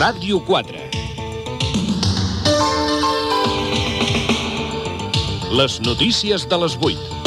Ràdio 4. Les notícies de les 8.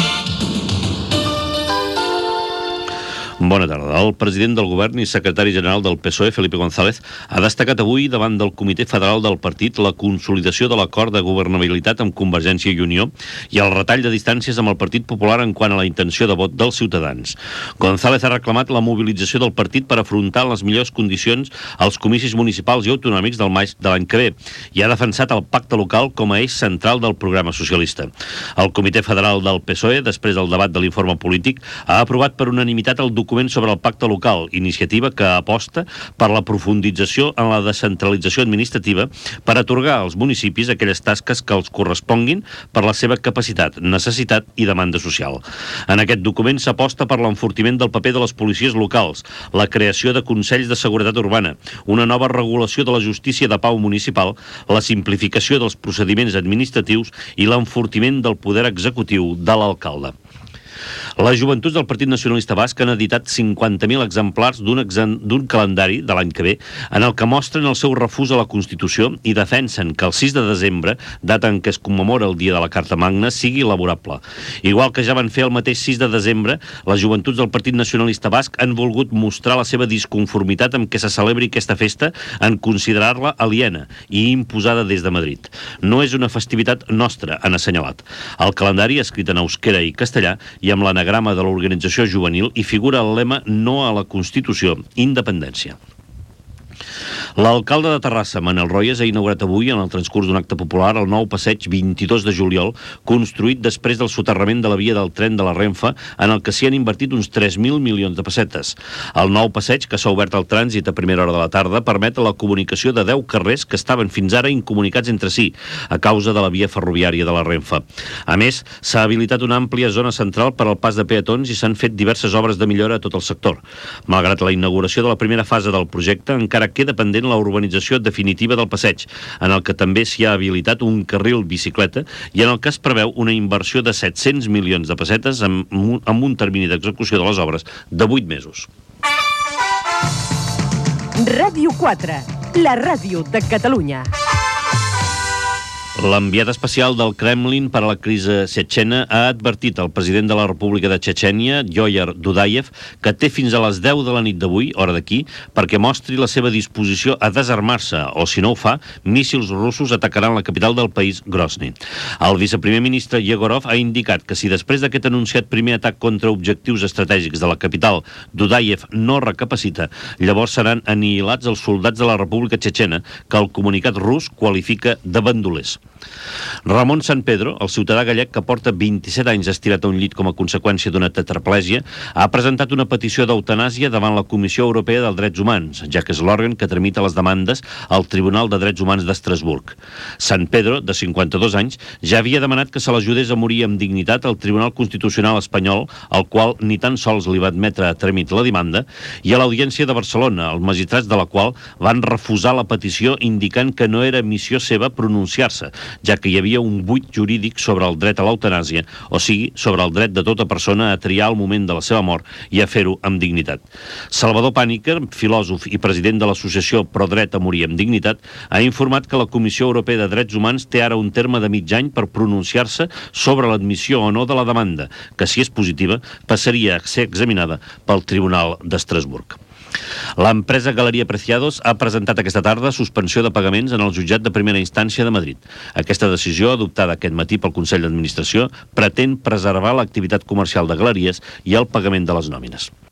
Bona tarda. El president del govern i secretari general del PSOE, Felipe González, ha destacat avui davant del Comitè Federal del partit la consolidació de l'acord de governabilitat amb Convergència i Unió i el retall de distàncies amb el Partit Popular en quant a la intenció de vot dels ciutadans. González ha reclamat la mobilització del partit per afrontar les millors condicions als comicis municipals i autonòmics del maig de l'any que ve i ha defensat el pacte local com a eix central del programa socialista. El Comitè Federal del PSOE, després del debat de l'informe polític, ha aprovat per unanimitat el document sobre el pacte local, iniciativa que aposta per la profundització en la descentralització administrativa per atorgar als municipis aquelles tasques que els corresponguin per la seva capacitat, necessitat i demanda social. En aquest document s'aposta per l'enfortiment del paper de les policies locals, la creació de consells de seguretat urbana, una nova regulació de la justícia de pau municipal, la simplificació dels procediments administratius i l'enfortiment del poder executiu de l'alcalde. Les joventuts del Partit Nacionalista Basc han editat 50.000 exemplars d'un calendari de l'any que ve en el que mostren el seu refús a la Constitució i defensen que el 6 de desembre, data en què es commemora el dia de la Carta Magna, sigui laborable. Igual que ja van fer el mateix 6 de desembre, les joventuts del Partit Nacionalista Basc han volgut mostrar la seva disconformitat amb què se celebri aquesta festa en considerar-la aliena i imposada des de Madrid. No és una festivitat nostra, han assenyalat. El calendari, escrit en euskera i castellà i amb l'anagrama de l'organització juvenil, hi figura el lema No a la Constitució, independència. L'alcalde de Terrassa, Manel Royes, ha inaugurat avui, en el transcurs d'un acte popular, el nou passeig 22 de juliol, construït després del soterrament de la via del tren de la Renfe, en el que s'hi han invertit uns 3.000 milions de pessetes. El nou passeig, que s'ha obert al trànsit a primera hora de la tarda, permet la comunicació de 10 carrers que estaven fins ara incomunicats entre si, a causa de la via ferroviària de la Renfe. A més, s'ha habilitat una àmplia zona central per al pas de peatons i s'han fet diverses obres de millora a tot el sector. Malgrat la inauguració de la primera fase del projecte, encara queda pendent la urbanització definitiva del passeig, en el que també s'hi ha habilitat un carril bicicleta i en el que es preveu una inversió de 700 milions de pessetes amb un termini d'execució de les obres de 8 mesos. Ràdio 4, la ràdio de Catalunya. L'enviat especial del Kremlin per a la crisi txetxena ha advertit al president de la República de Txetxènia, Djoyar Dudayev, que té fins a les 10 de la nit d'avui, hora d'aquí, perquè mostri la seva disposició a desarmar-se, o si no ho fa, míssils russos atacaran la capital del país, Grozny. El viceprimer ministre Yegorov ha indicat que si després d'aquest anunciat primer atac contra objectius estratègics de la capital, Dudayev no recapacita, llavors seran anihilats els soldats de la República Txetxena, que el comunicat rus qualifica de bandolers. Ramon San Pedro, el ciutadà gallec que porta 27 anys estirat a un llit com a conseqüència d'una tetraplègia, ha presentat una petició d'eutanàsia davant la Comissió Europea dels Drets Humans, ja que és l'òrgan que tramita les demandes al Tribunal de Drets Humans d'Estrasburg. San Pedro, de 52 anys, ja havia demanat que se l'ajudés a morir amb dignitat al Tribunal Constitucional espanyol, al qual ni tan sols li va admetre a tràmit la demanda, i a l'Audiència de Barcelona, els magistrats de la qual van refusar la petició indicant que no era missió seva pronunciar-se, ja que hi havia un buit jurídic sobre el dret a l'eutanàsia, o sigui, sobre el dret de tota persona a triar el moment de la seva mort i a fer-ho amb dignitat. Salvador Pàniker, filòsof i president de l'associació Pro Dret a Morir amb Dignitat, ha informat que la Comissió Europea de Drets Humans té ara un terme de mig any per pronunciar-se sobre l'admissió o no de la demanda, que si és positiva passaria a ser examinada pel Tribunal d'Estrasburg. L'empresa Galeria Preciados ha presentat aquesta tarda suspensió de pagaments en el jutjat de primera instància de Madrid. Aquesta decisió, adoptada aquest matí pel Consell d'Administració, pretén preservar l'activitat comercial de galeries i el pagament de les nòmines.